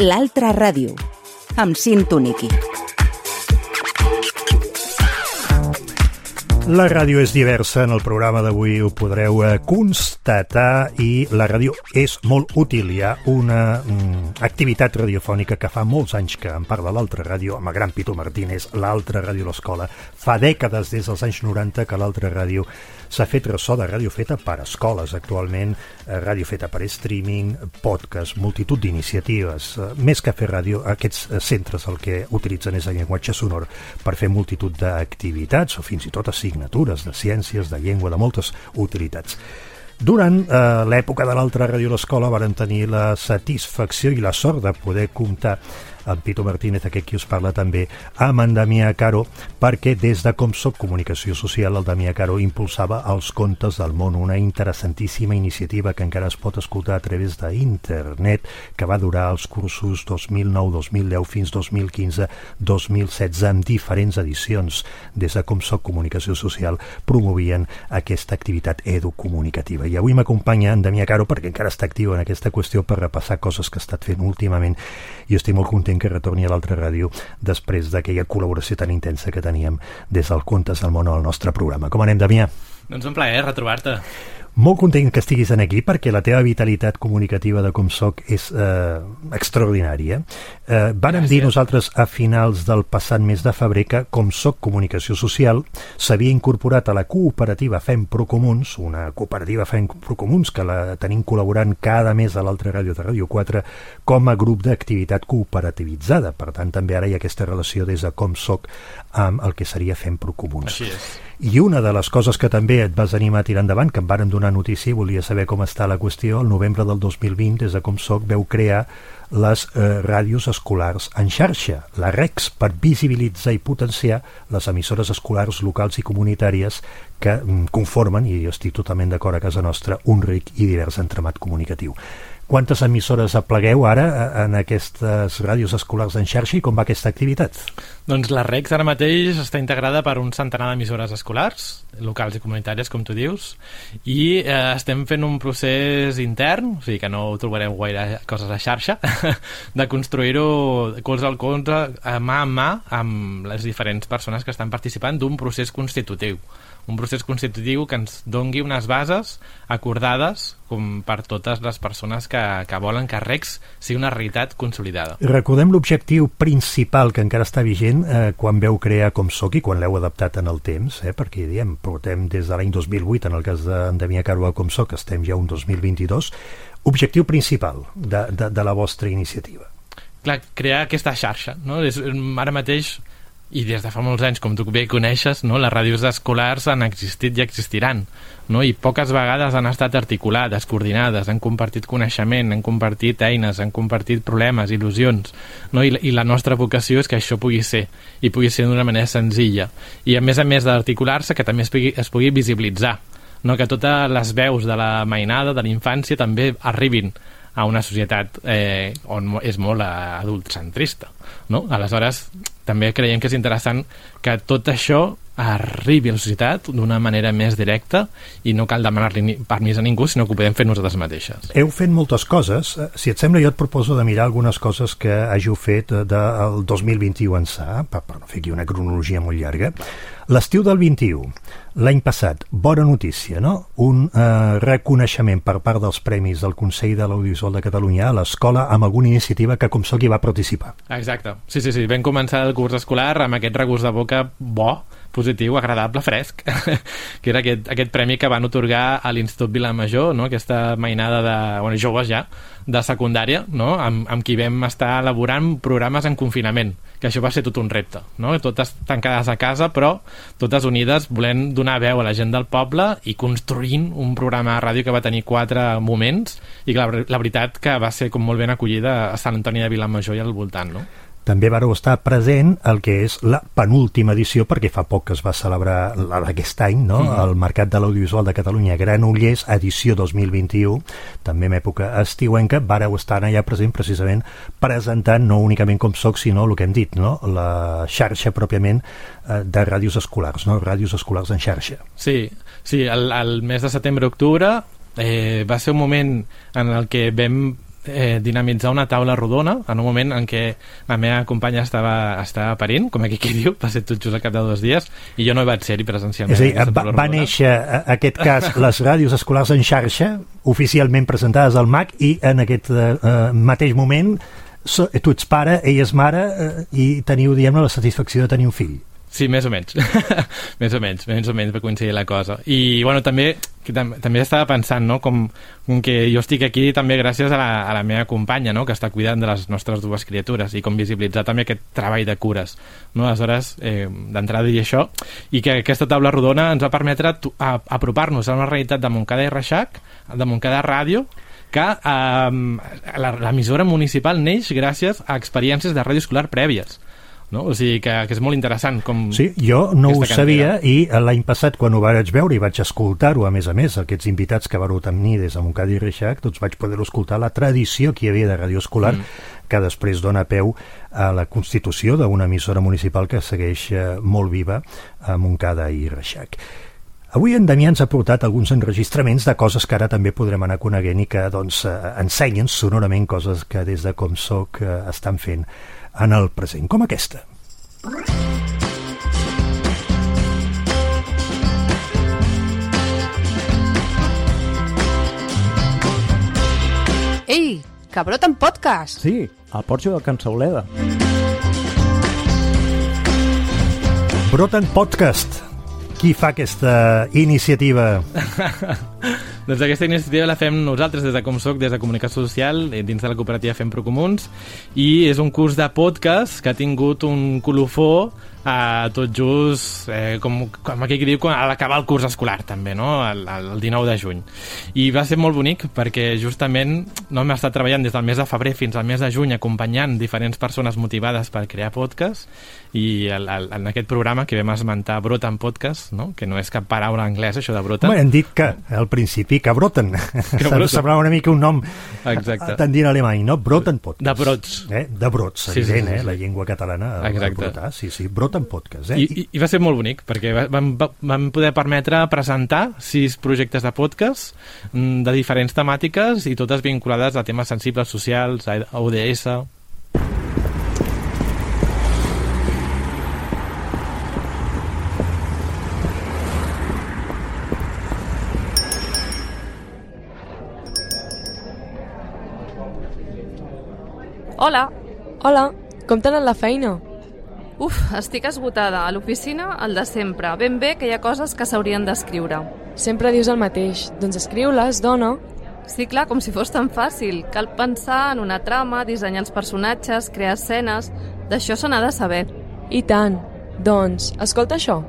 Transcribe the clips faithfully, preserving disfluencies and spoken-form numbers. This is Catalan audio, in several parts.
L'altra ràdio, amb Cinto Niqui. La ràdio és diversa, en el programa d'avui ho podreu constatar, i la ràdio és molt útil. Hi ha una mm, activitat radiofònica que fa molts anys que en parla l'altra ràdio, amb el gran Pitu Martínez, l'altra ràdio a l'escola. Fa dècades, des dels anys noranta, que l'altra ràdio s'ha fet ressò de ràdio feta per escoles. Actualment, ràdio feta per streaming, podcast, multitud d'iniciatives. Més que fer ràdio, aquests centres el que utilitzen és el llenguatge sonor per fer multitud d'activitats o fins i tot assignatures de ciències, de llengua, de moltes utilitats. Durant eh, l'època de l'altra ràdio a l'escola varen tenir la satisfacció i la sort de poder comptar amb Pitu Martínez, aquest qui us parla també, amb en Damià Caro, perquè des de Comsoc Comunicació Social el Damià Caro impulsava els Contes del Món, una interessantíssima iniciativa que encara es pot escoltar a través d'internet, que va durar els cursos dos mil nou dos mil deu fins dos mil quinze dos mil setze, amb diferents edicions. Des de Comsoc Comunicació Social promovien aquesta activitat educomunicativa. I avui m'acompanya en Damià Caro, perquè encara està actiu en aquesta qüestió, per repassar coses que ha estat fent últimament, i estic molt content que retorni a l'altra ràdio després d'aquella col·laboració tan intensa que teníem des del Contes del Món al nostre programa. Com anem, Damià? Doncs un plaer retrobar-te. Molt content que estiguis aquí, perquè la teva vitalitat comunicativa de Comsoc és eh, extraordinària. Eh, vàrem dir nosaltres a finals del passat mes de febrer que Comsoc Comunicació Social s'havia incorporat a la cooperativa Fem Procomuns, una cooperativa Fem Procomuns que la tenim col·laborant cada mes a l'altra ràdio de Ràdio quatre com a grup d'activitat cooperativitzada. Per tant, també ara hi ha aquesta relació des de Comsoc amb el que seria Fem Procomuns. Així és. I una de les coses que també et vas animar a tirar endavant, que em varen donar notícia i volia saber com està la qüestió, el novembre del dos mil vint, des de Comsoc, veu crear les eh, ràdios escolars en xarxa, la REX, per visibilitzar i potenciar les emissores escolars locals i comunitàries que mm, conformen, i jo estic totalment d'acord a casa nostra, un ric i divers entramat comunicatiu. Quantes emissores aplegueu ara en aquestes ràdios escolars en xarxa i com va aquesta activitat? Doncs la REX ara mateix està integrada per un centenar d'emissores escolars, locals i comunitàries, com tu dius, i eh, estem fent un procés intern, o sigui que no trobareu gaire coses a xarxa, de construir-ho colze al colze, mà a mà, amb les diferents persones que estan participant d'un procés constitutiu. Un procés constitutiu que ens dongui unes bases acordades com per totes les persones que, que volen que REX sigui una realitat consolidada. Recordem l'objectiu principal que encara està vigent eh, quan veu crear Comsoc i quan l'heu adaptat en el temps, eh, perquè diem, portem des de l'any dos mil vuit, en el cas d'en Damià Caro a Comsoc, estem ja un dos mil vint-i-dos. Objectiu principal de, de, de la vostra iniciativa. Clar, crear aquesta xarxa, no? És, ara mateix, i des de fa molts anys, com tu bé coneixes, no? Les ràdios escolars han existit i existiran, no? I poques vegades han estat articulades, coordinades, han compartit coneixement, han compartit eines, han compartit problemes, il·lusions, no? I, i la nostra vocació és que això pugui ser, i pugui ser d'una manera senzilla, i a més a més d'articular-se, que també es pugui, es pugui visibilitzar, no? Que totes les veus de la mainada, de la infància, també arribin a una societat eh, on és molt adultcentrista, no? Aleshores, també creiem que és interessant que tot això arribi a la societat d'una manera més directa i no cal demanar-li permís a ningú, sinó que ho podem fer nosaltres mateixes. Heu fet moltes coses. Si et sembla, jo et proposo de mirar algunes coses que hàgiu fet del dos mil vint-i-u ençà, per, per no fer aquí una cronologia molt llarga. L'estiu del vint-i-u, l'any passat, bona notícia, no? Un eh, reconeixement per part dels premis del Consell de l'Audiovisual de Catalunya a l'escola amb alguna iniciativa que Comsoc hi va participar. Exacte. Sí, sí, sí. Vam començar el curs escolar amb aquest regust de boca bo, positiu, agradable, fresc, que era aquest, aquest premi que van otorgar a l'Institut Vilamajor, no? Aquesta mainada de bueno, joves ja, de secundària, no? amb, amb qui vam estar elaborant programes en confinament, que això va ser tot un repte, no? Totes tancades a casa, però totes unides, volent donar veu a la gent del poble i construint un programa de ràdio que va tenir quatre moments i que la, la veritat que va ser com molt ben acollida a Sant Antoni de Vilamajor i al voltant, no? També vareu estar present el que és la penúltima edició, perquè fa poc que es va celebrar la d'aquest any, no? Mm. El Mercat de l'Audiovisual de Catalunya, Granollers, edició dos mil vint-i-u, també en època estiuenca, vareu estar allà present precisament presentant no únicament Comsoc, sinó el que hem dit, no? La xarxa pròpiament eh, de ràdios escolars, no? Ràdios escolars en xarxa. Sí, sí, el, el mes de setembre-octubre eh, va ser un moment en el que vam eh, dinamitzar una taula rodona en un moment en què la meva companya estava, estava parint, com aquí qui diu, va ser tot just al cap de dos dies, i jo no hi vaig ser-hi presencialment. És a dir, va, va néixer, en aquest cas, les ràdios escolars en xarxa, oficialment presentades al M A C, i en aquest eh, mateix moment so, tu ets pare, ella és mare, eh, i teniu, diguem-ne, la satisfacció de tenir un fill. Sí, més o menys. més o menys, més o menys va coincidir la cosa. I, bueno, també que tam també estava pensant, no?, com, com que jo estic aquí també gràcies a la, a la meva companya, no?, que està cuidant de les nostres dues criatures, i com visibilitzar també aquest treball de cures, no?, aleshores, eh, d'entrada dir això, i que aquesta taula rodona ens va permetre apropar-nos a una realitat de Montcada i Reixac, de Montcada Ràdio, que eh, l'emissora municipal neix gràcies a experiències de ràdio escolar prèvies. No? O sigui que, que és molt interessant com sí, jo no ho sabia, i l'any passat quan ho vaig veure i vaig escoltar-ho, a més a més, aquests invitats que vareu tenir des de Montcada i Reixac, doncs vaig poder escoltar la tradició que hi havia de ràdio escolar, mm. que després dona peu a la constitució d'una emissora municipal que segueix molt viva a Montcada i Reixac. Avui en Damià ens ha portat alguns enregistraments de coses que ara també podrem anar coneguent i que doncs, ensenyen sonorament coses que des de Com Soc estan fent en el present, com aquesta. Ei, que broten podcast! Sí, al porxo del Can Sauleda. Broten podcast. Qui fa aquesta iniciativa? Doncs aquesta iniciativa la fem nosaltres des de Com Soc, des de Comunicació Social, dins de la cooperativa Fem Procomuns, i és un curs de podcast que ha tingut un colofó a tot just, eh, com, com aquí diu, a l'acabar el curs escolar també, no? el, el dinou de juny. I va ser molt bonic perquè justament no hem estat treballant des del mes de febrer fins al mes de juny acompanyant diferents persones motivades per crear podcast, i el, el, en aquest programa que vam esmentar Broten Podcast, no? Que no és cap paraula anglesa això de Broten. Home, hem dit que al principi que broten, que broten. Semblava una mica un nom tendint alemany, no? Broten Podcast. De brots. Eh? De brots, sí, evident, sí, sí, eh? sí. La llengua catalana a brotar, sí, sí, Broten Podcast. Eh? I, i, I va ser molt bonic, perquè vam, vam poder permetre presentar sis projectes de podcast de diferents temàtiques i totes vinculades a temes sensibles socials, a O D S. Hola. Hola, com t'ha anat la feina? Uf, estic esgotada. A l'oficina, el de sempre. Ben bé que hi ha coses que s'haurien d'escriure. Sempre dius el mateix. Doncs escriu-les, dona. Sí, clar, com si fos tan fàcil. Cal pensar en una trama, dissenyar els personatges, crear escenes... D'això se n'ha de saber. I tant. Doncs, escolta això.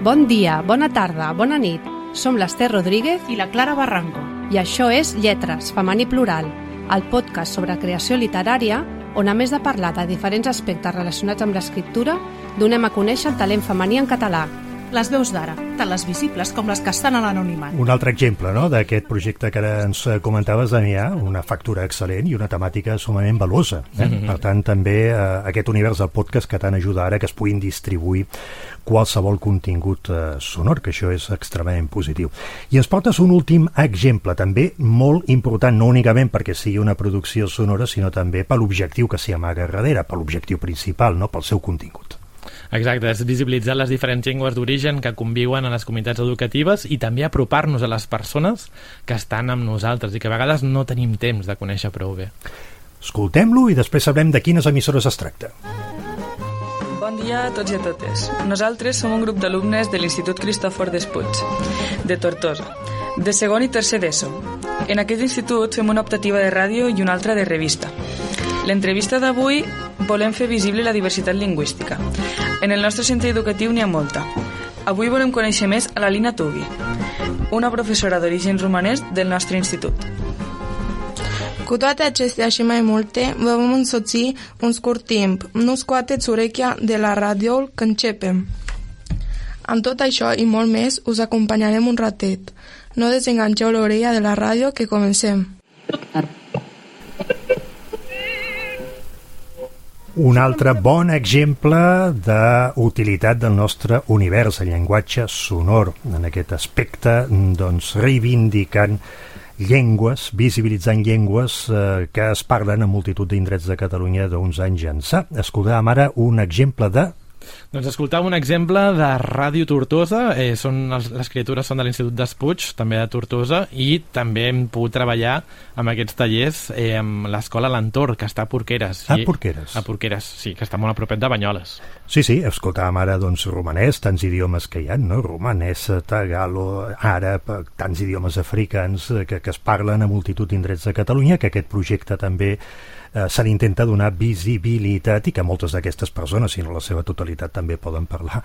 Bon dia, bona tarda, bona nit. Som l'Ester Rodríguez i la Clara Barranco. I això és Lletres, femení plural, el podcast sobre creació literària on, a més de parlar de diferents aspectes relacionats amb l'escriptura, donem a conèixer el talent femení en català. Les veus d'ara, tant les visibles com les que estan a l'anonimat. Un altre exemple, no?, d'aquest projecte que ara ens comentaves, Damià, una factura excel·lent i una temàtica sumament valuosa. Eh? Mm-hmm. Per tant, també eh, aquest univers del podcast que tant ajuda ara que es puguin distribuir qualsevol contingut eh, sonor, que això és extremadament positiu. I ens portes un últim exemple, també molt important, no únicament perquè sigui una producció sonora, sinó també per l'objectiu que s'hi amaga darrere, per l'objectiu principal, no?, pel seu contingut. Exacte, és visibilitzar les diferents llengües d'origen que conviuen a les comunitats educatives i també apropar-nos a les persones que estan amb nosaltres i que a vegades no tenim temps de conèixer prou bé. Escoltem-lo i després sabrem de quines emissores es tracta. Bon dia a tots i a totes. Nosaltres som un grup d'alumnes de l'Institut Cristòfor Despuig, de Tortosa, de segon i tercer d'ESO. En aquest institut fem una optativa de ràdio i una altra de revista. L'entrevista d'avui volem fer visible la diversitat lingüística. En el nostre centre educatiu n'hi ha molta. Avui volem conèixer més a la Lina Tugi, una professora d'origen romanès del nostre institut. Cu toate acestea și mai multe, vă vom însoți un scurt timp. Nu scoateți urechea de la radio că începem. Amb tot això i molt més, us acompanyarem un ratet. No desenganxeu l'orella de la ràdio que comencem. Un altre bon exemple d'utilitat del nostre univers, el llenguatge sonor, en aquest aspecte, doncs, reivindicant llengües, visibilitzant llengües eh, que es parlen a multitud d'indrets de Catalunya d'uns anys ençà. Escoltàvem ara un exemple de... Doncs escoltàvem un exemple de Ràdio Tortosa, eh, són els, les criatures són de l'Institut d'Espuig, també de Tortosa, i també hem pogut treballar amb aquests tallers eh, amb l'escola L'Entorn, que està a Porqueres. A Porqueres. A Porqueres, sí, que està molt a propet de Banyoles. Sí, sí, escoltàvem ara doncs romanès, tants idiomes que hi ha, no? Romanès, tagalo, àrab, tants idiomes africans que, que es parlen a multitud d'indrets de Catalunya, que aquest projecte també eh, se li intenta donar visibilitat i que moltes d'aquestes persones, si no la seva totalitat, també poden parlar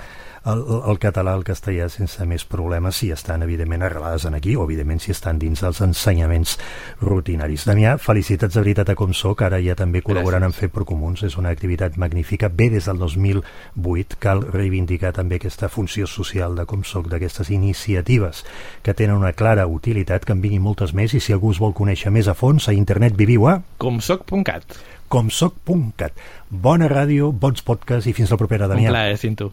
el, el català, el castellà sense més problemes si estan evidentment arrelades en aquí o evidentment si estan dins dels ensenyaments rutinaris. Damià, felicitats de veritat a Com Soc, ara ja també col·laborant en Fer per Comuns, és una activitat magnífica, ve des del dos mil vuit, cal reivindicar també aquesta funció social de Com Soc, d'aquestes iniciatives que tenen una clara utilitat, que en vinguin moltes més, i si algú es vol conèixer més a fons, a internet viviu a comsoc punt cat. comsoc punt cat. Bona ràdio, bons podcasts i fins la propera, Damià. Un plaer, Cinto.